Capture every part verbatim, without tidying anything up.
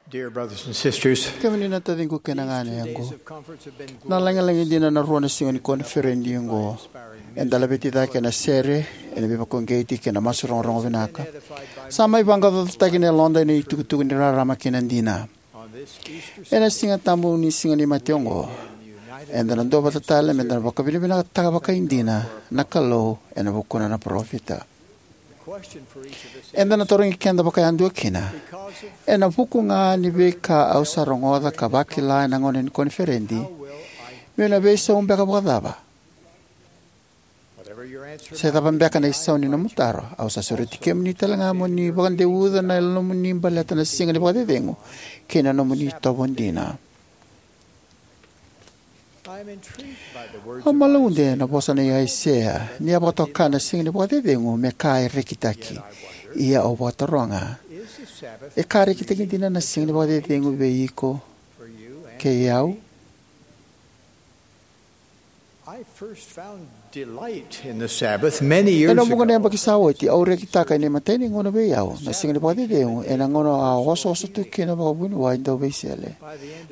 Dear brothers and sisters, kemuni na taciqu kei na gane yaqu, na lagilagi dina na rua na siga ni koniferedi oqo. Eda laveti cake ena sere, ena veivakauqeti kei na masu rogorogo vinaka. Sa mai vaqaqacotaki na yaloda ena itukutuku ni rarama kei na dina. Ena Siga Tabu ni Siga ni Mate oqo, eda na duavata tale meda na vakavinavinakataka vakaidina na Kalou ena vukuna na parofita. Eda na tarogi keda vakayadua kina, ena vuku ga ni veika au sa rogoca ka vakila ena gauna ni koniferedi, meu na veisau beka vakacava? Se cava beka na isau ni nomu taro, au sa sureti kemuni tale ga mo ni vakadeuca na yalomu ni baleta na siga ni vakacecegu kei na nomuni itovo dina. Au malaude na vosa nei Aisea ni a vakatoka na siga ni vakacecegu me ka e rekitaki. Ia au vakataroga, e ka rekitaki dina na siga ni vakacecegu vei iko kei au? I first found delight in the Sabbath many years ago. Ena vuqa na yabaki sa oti, au rekitaka ena imatai ni gauna vei au na siga ni vakacecegu, ena gauna a osooso tu kina vakavuniwai dau veisele.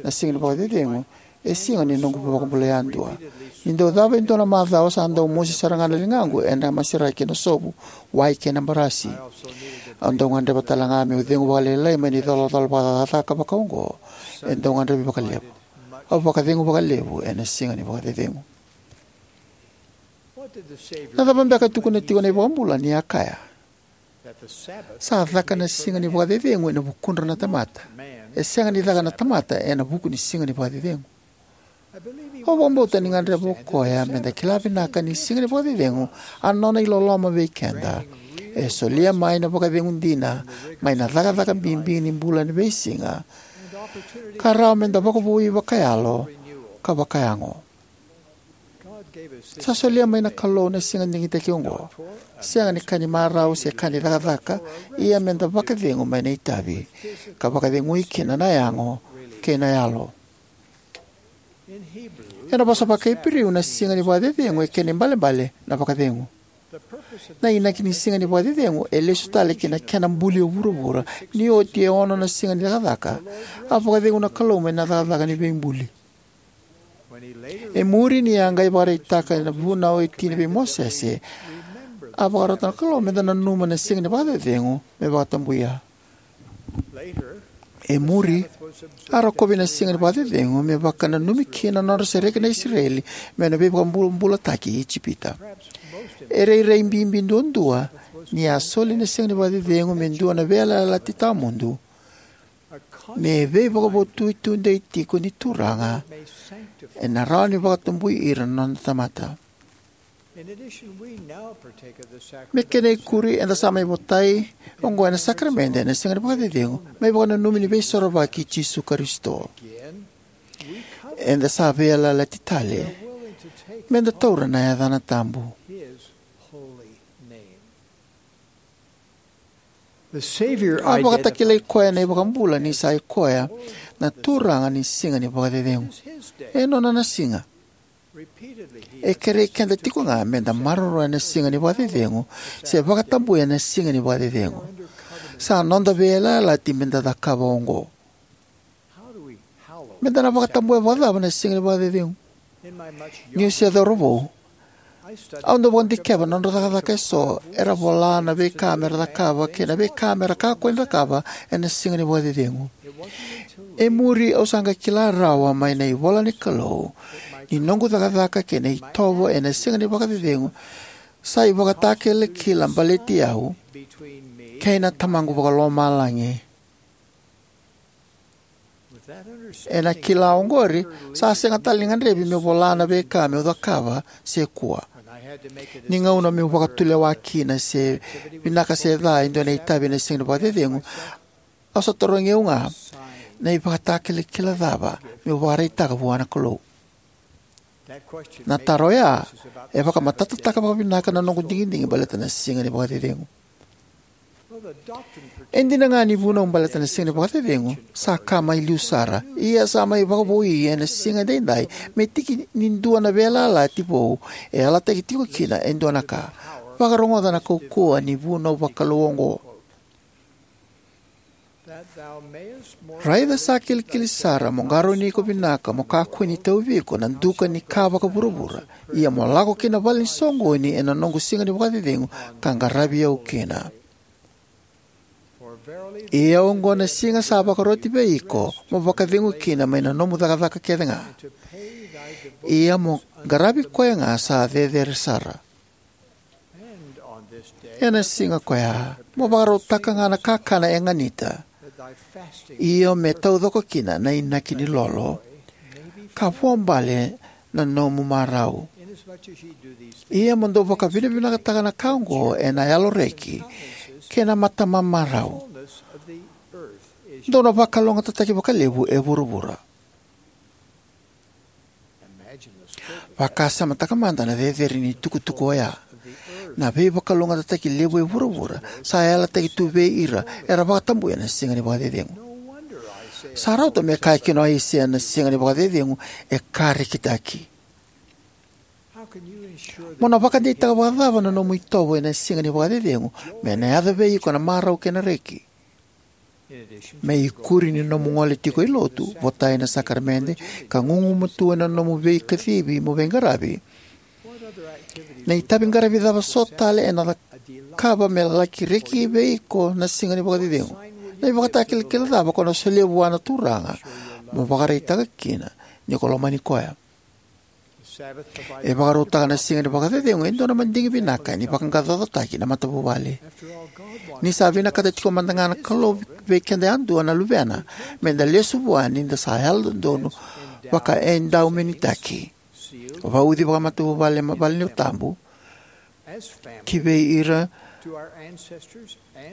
Na siga ni vakacecegu e siga ni noqu vakabula yadua. Ni dau cava e dua na macawa, sa dau mosi sara ga na ligaqu ena maseraki ena sovu, wai kei na barasi. Au dau gadreva tale ga meu cegu vakalailai mai na icolacola vakacakacaka vakaoqo. E dau gadrevi vakalevu. Au vakacegu vakalevu ena siga ni vakacecegu. Na cava beka e tukuna tiko na iVakabula ni a kaya? Sa caka na siga ni vakacecegu ena vukudra na tamata. E sega ni caka na tamata ena vuku ni siga ni vakacecegu. Au vakabauta ni gadreva o koya meda kila vinaka ni siga ni vakacecegu, a nona iloloma vei keda, e solia mai na vakacegu dina mai na cakacaka bibi ni bula ni veisiga, ka rawa meda vakavoui vakayalo ka vakayago. Sa solia mai na Kalou na siga digitaki oqo, sega ni ka ni marau se ka ni cakacaka, ia meda vakacegu mai na itavi, ka vakacegui kina na yago kei na yalo. Ena vosa vakaIperiu, na siga ni vakacecegu e kena ibalebale na vakacegu. Na inaki ni siga ni vakacecegu e lesu tale ki na kena buli o vuravura, ni oti e ono na siga ni cakacaka, a vakacegu na Kalou mai na cakacaka ni veibuli. E muri, ni a qai vakaraitaka na vunau e tini vei Mosese, a vakarota na Kalou meda nanuma na siga ni vakacecegu me vakatabuya. E muri, a rokovi na siga ni vakacecegu me vakananumi kina na nodra sereki na Isireli mai na veivakabulabulataki i Ijipita. E rairai bibi duadua ni a soli na siga ni vakacecegu me dua na veiyalayalati tawamudu, me veivakavotui tudei tiko ni Turaga, ena rawa ni vakatabui ira na noda tamata. Me kena ikuri, eda sa mai votai oqo ena sakaramede ena siga ni vakacecegu, mai vakananumi ni Veisorovaki i Jisu Karisito. Eda sa veiyalayalati tale meda taura na yacana tabu. A vakatakilai koya na iVakabula ni sa i koya na Turaga ni siga ni vakacecegu. E nona na siga. E kerei keda tiko ga meda maroroya na siga ni vakacecegu se vakatabuya na siga ni vakacecegu. Sa noda veiyalayalati meda cakava oqo. Meda na vakatabuya vakacava na siga ni vakacecegu? Niu se cauravou, au dau vakadikeva na nodra cakacaka eso era vola na veika mera cakava kei na veika mera kakua ni cakava ena siga ni vakacecegu. E muri, au sa qai kila rawa mai na ivola ni Kalou ni noqu cakacaka kei na itovo ena siga ni vakacecegu sa ivakatakilakila baleti au kei na Tamaqu Vakalomalagi. Ena kila oqori, sa sega tale ni gadrevi meu vola na veika meu cakava se kua. Ni gauna meu vakatulewa kina se vinaka se ca e dua na itavi ena siga ni vakacecegu, au sa tarogi au ga na ivakatakilakila cava meu vakaraitaka vua na Kalou. Na taro oya e vakamatatataka vakavinaka na noqu digidigi baleta na siga ni vakacecegu. E dina ga ni vunau baleta na siga ni vakacecegu sa ka mai liu sara, ia sa mai vakavoui ena siga edaidai me tiki ni dua na veiyalayalati vou e yalataki tiko kina e dua na ka. Vakarogoca na kaukauwa ni vunau vakalou oqo. Raica sa kilikili sara mo qarauni iko vinaka mo kakua ni tauvi iko na duka ni ka vakavuravura, ia mo lako ki na vale ni soqoni ena noqu siga ni vakacecegu ka qaravi au kina. Ia oqo na siga sa vakaroti vei iko mo vakacegu kina mai na nomu cakacaka kecega. Ia mo qaravi koya ga sa cecere sara. Ena siga ko ya mo vakarautaka ga na kakana e ganita, io me taucoko kina na inaki ni lolo, ka vuabale na nomu marau. Ia mo dou vakavinavinakataka na ka oqo ena yaloreki kei na matamamarau. Dou na vakalougatataki vakalevu e vuravura. Vakasamataka mada na cecere ni tukutuku oya. Na veivakalougatataki levu e vuravura sa yalataki tu vei ira era vakatabuya na siga ni vakacecegu. Sa rauta me kaya kina o Aisea na siga ni vakacecegu e ka rekitaki. Mo na vakadeitaka vakacava na nomu itovo ena siga ni vakacecegu me na yaco vei iko na marau kei na reki? Me ikuri ni nomu gole tiko i lotu, votai na sakaramede, ka gugumatua ena nomu veikacivi mo veiqaravi, na itavi qaravi cava so tale ena cakava me laki reki vei iko na siga ni vakacecegu? Na ivakatakilakila cava ko na solia vua na Turaga mo vakaraitaka kina ni ko lomani koya? E vakarautaka na siga ni vakacecegu e dua na madigi vinaka ni vaqaqacotaki na matavuvale. Ni sa vinakata tiko mada ga na Kalou vei keda yadua na luvena me da lesu vua ni da sa yalododonu vakaedaumenitaki, vauci vakamatavuvale mai valenilotu tabu, ki vei ira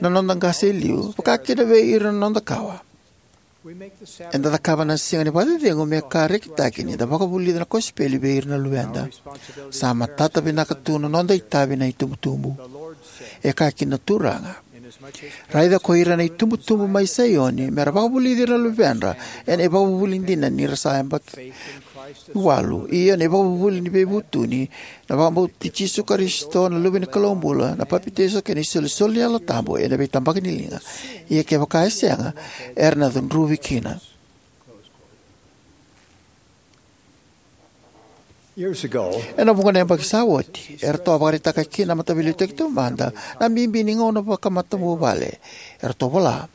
na noda qase e liu, vaka kina vei ira na noda kawa. Eda cakava na siga ni vakacecegu me ka rekitaki ni da vakavulica na kosipeli vei ira na luveda. Sa matata vinaka tu na noda itavi na itubutubu. E kaya kina na Turaga: Raica ko ira na itubutubu mai Saioni, me ra vakavulici ira na luvedra ena ivakavuvuli dina ni ra sa yabaki walu, io na ivakavuvuli ni veivutuni, na vakabauti Jisu Karisito na Luve ni Kalou bula, na papitaiso kei na isolisoli ni Yalo Tabu ena veitabaki ni liga. Ia kevaka e sega, era na cudruvi kina. Ena vuqa na yabaki sa oti, eratou a vakaraitaka kina na Mataveiliutaki Taumada na bibi ni gauna vakamatavuvale. Eratou vola: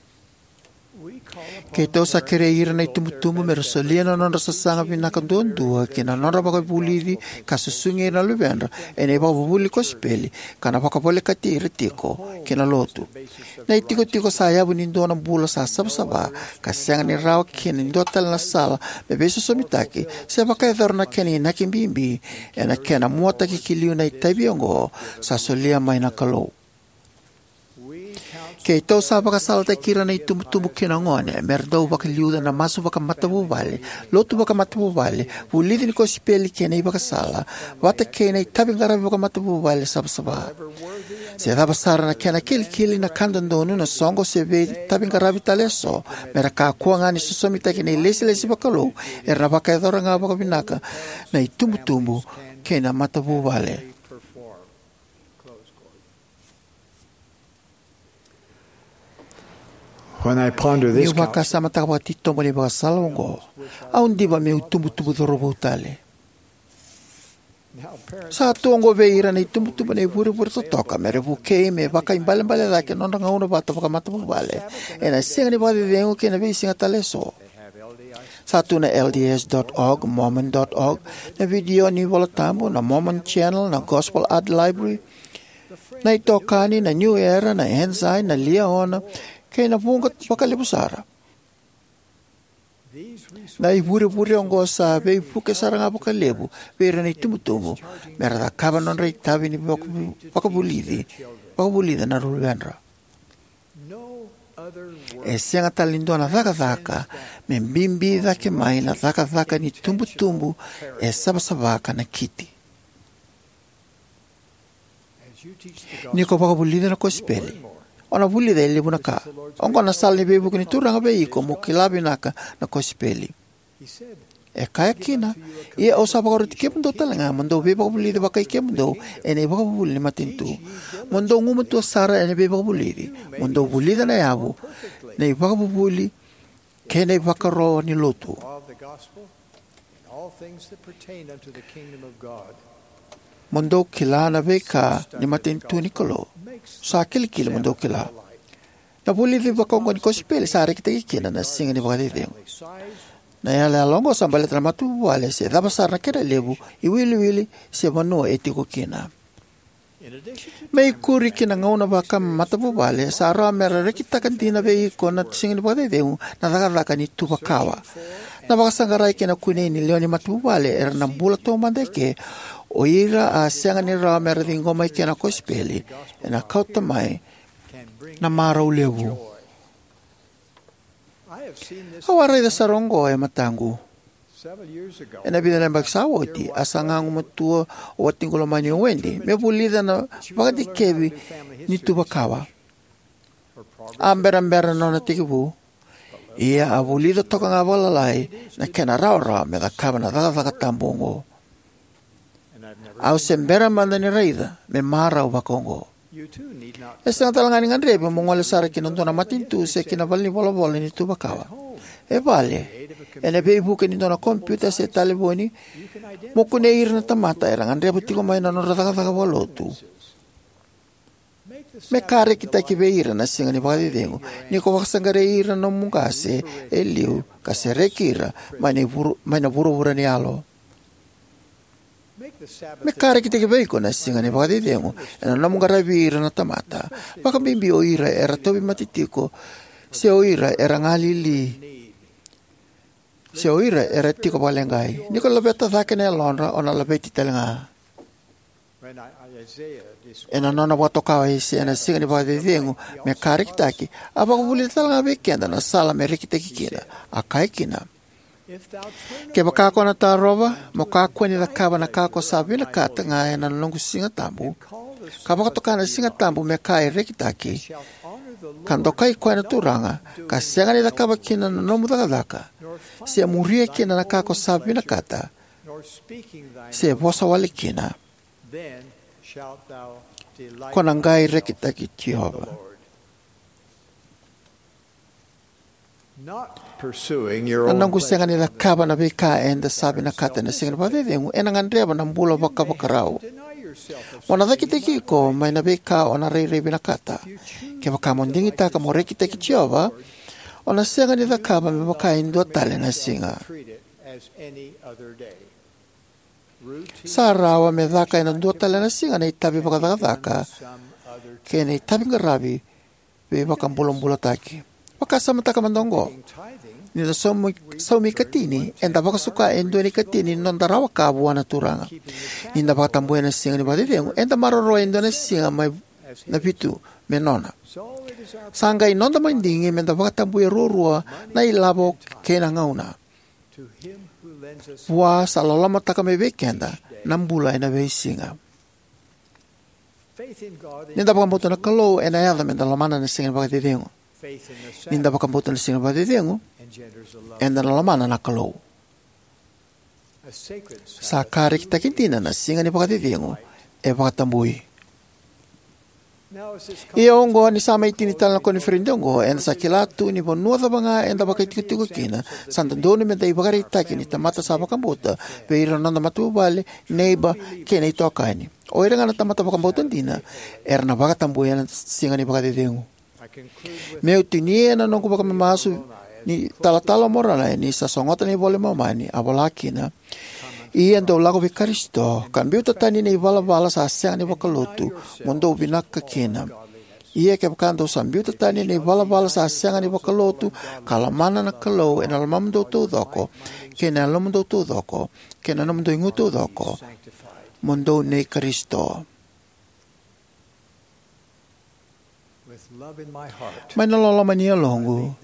Keitou sa kerei ira na itubutubu me ra solia na nodra sasaga vinaka duadua ki na nodra vakavulici ka susugi ira na luvedra ena ivakavuvuli ni kosipeli, ka na vakavolekati ira tiko ki na lotu. Na itikotiko sa yavu ni dua na bula sa savasava ka sega ni rawa kina e dua tale na sala me veisosomitaki se vakayacora na kena inaki bibi ena kena muataki ki liu na itavi oqo sa solia mai na Kalou. Keitou sa vakasalataki ira na itubutubu kei na gone me ra dau vakaliuca na masu vakamatavuvale, lotu vakamatavuvale, vulici ni kosipeli kei na ivakasala, vata kei na itavi qaravi vakamatavuvale savasava. Se cava sara na kena kilikili, na ka dodonu, na soqo, se veitavi qaravi tale eso, me ra kakua ga ni sosomitaki na ilesilesi vakalou, era na vakayacora ga vakavinaka na itubutubu kei na matavuvale. When I ponder this Niu vakasamataka vakatitobu na ivakasala oqo, au diva meu tubutubu cauravou tale. Sa tu oqo vei ira na itubutubu na ivurevure totoka me ra vukei me vakaibalebale cake na nodra gauna vata vakamatavuvale ena siga ni vakacecegu kei na veisiga tale eso. Sa tu na L D S dot org, Mormon dot org, na vidio ni iVolatabu, na Mormon Channel, na Gospel Art Library, na itokani, na New Era, na Ensign, na Liahona, kei na vuqa vakalevu sara. Na ivurevure oqo sa veivuke sara ga vakalevu vei ira na itubutubu me ra cakava na nodra itavi ni vakavu-, vakavulici, vakavulica na luvedra. E sega tale ni dua na cakacaka me bibi cake mai na cakacaka ni tubutubu e savasava ka nakiti. Ni ko vakavulica na kosipeli, o na vulica e levu na ka. Oqo na sala ni veivuke ni Turaga vei iko mo kila vinaka na kosipeli. E kaya kina: Ia au sa vakaroti kemudou tale ga mo dou veivakavulici vakai kemudou ena ivakavuvuli ni matanitu, mo dou gumatua sara ena veivakavulici, mo dou vulica na yavu na ivakavuvuli kei na ivakaro ni lotu. Of the gospel, and all things that pertain unto the kingdom of God. Mo dou kila na veika ni matanitu ni Kalou. Sa kilikili mo dou kila. Na vulici vakaoqo ni kosipeli sa rekitaki kina na siga ni vakacecegu. Na yalayala oqo sa baleta na matavuvale, se cava sara na kena levu, iwiliwili, se vanua e tiko kina. Me ikuri ki na gauna vakamatavuvale, sa rawa mera rekitaka dina vei iko na siga ni vakacecegu na cakacaka ni tuvakawa. Na vakasaqarai kei na kunei ni lewe ni matavuvale era na bula taumada eke, o ira a sega ni rawa mera ciqoma eke na kosipeli, ena kauta mai na marau levu. Au a raica sara oqo e mataqu. Ena vica na yabaki sa oti, a saga gumatua o watiqu lomani o Wendy me vulica na vakadikevi ni tuvakawa. A berabera na nona tekivu, ia a vulica toka ga vakalalai na kena rawarawa me cakava na cakacaka tabu oqo. Au se bera mada ni raica me marau vakaoqo. E sega tale ga ni gadrevi mo gole sara ki na dua na matanitu se ki na valenivolavola ni tuvakawa. E vale, ena veivuke ni dua na kompiuta se talevoni, mo kunei ira na tamata era gadreva tiko mai na nodra cakacaka vakalotu. Me ka rekitaki vei ira na siga ni vakacecegu ni ko vakasaqarai ira na nomu qase e liu ka sereki ira mai na vuru-, mai na vuravura ni yalo. Me ka rekitaki vei iko na siga ni vakacecegu ena nomu qaravi ira na tamata, vakabibi o ira era tauvimate tiko, se o ira era galili, se o ira era tiko vakaleqai. Ni ko laveta cake na yalodra, o na laveti tale ga. Ena nona vakatoka o Aisea na siga ni vakacecegu me ka rekitaki, a vakavulica tale ga vei keda na sala me rekitaki kina. A kaya kina: Kevaka ko na tarova, mo kakua ni cakava na ka ko sa vinakata ga ena noqu siga tabu, ka vakatoka na siga tabu me ka e rekitaki, ka dokai koya na Turaga, ka sega ni cakava kina na nomu cakacaka, se muria kina na ka ko sa vinakata, se vosa wale kina, ko na qai rekitaki Jiova. Na noqu sega ni cakava na veika eda sa vinakata ena siga ni vakacecegu ena gadreva na bula vakavakarau. Mo na cakitaki iko mai na veika o na rairai vinakata. Kevaka mo digitaka mo rekitaki Jiova, o na sega ni cakava me vaka e dua tale na siga. Sa rawa me caka ena dua tale na siga na itavi vakacakacaka kei na itavi qaravi veivakabulabulataki. Vakasamataka mada oqo. Ni da saumi, saumi ikatini, eda vakasuka e dua na ikatini ni noda rawa ka vua na Turaga. Ni da vakatabuya na siga ni vakacecegu, eda maroroya e dua na siga mai na vitu me nona. Sa qai noda madigi me da vakatabuya ruarua na ilavo kei na gauna. Vua sa lolomataka mai vei keda na bula ena veisiga. Ni da vakabauta na Kalou, ena yaco me da lomana na siga ni vakacecegu. Ni da vakabauta na siga ni vakacecegu, eda na lomana na Kalou. Sa ka rekitaki dina na siga ni vakacecegu e vakatabui. Ia oqo, ni sa mai tini tale na koniferedi oqo, eda sa kila tu ni vanua cava ga eda vakaitikotiko kina, sa dodonu me da ivakaraitaki ni tamata sa vakabauta vei ira na noda matavuvale, neiba, kei na itokani. O ira ga na tamata vakabauta dina era na vakatabuya na siga ni vakacecegu. Meu tinia ena noqu vakamamasu ni talatala o Moronai, ni sa sogota na iVola i Momani, a vola kina: Ia dou lako vei Karisito, ka biuta tani na ivalavala sa sega ni vakalotu, mo dou vinaka kina. Ia kevaka dou sa biuta tani na ivalavala sa sega ni vakalotu, ka lomana na Kalou ena lomamudou taucoko, kei na yalomudou taucoko, kei na nomudou igu taucoko, mo dou nei Karisito. Mai na loloma ni yaloqu,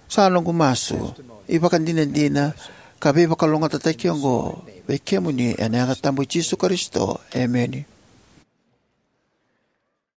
sa noqu masu, ivakadinadina, ka veivakalougatataki oqo vei kemuni ena yaca tabu i Jisu Karisito. Emeni.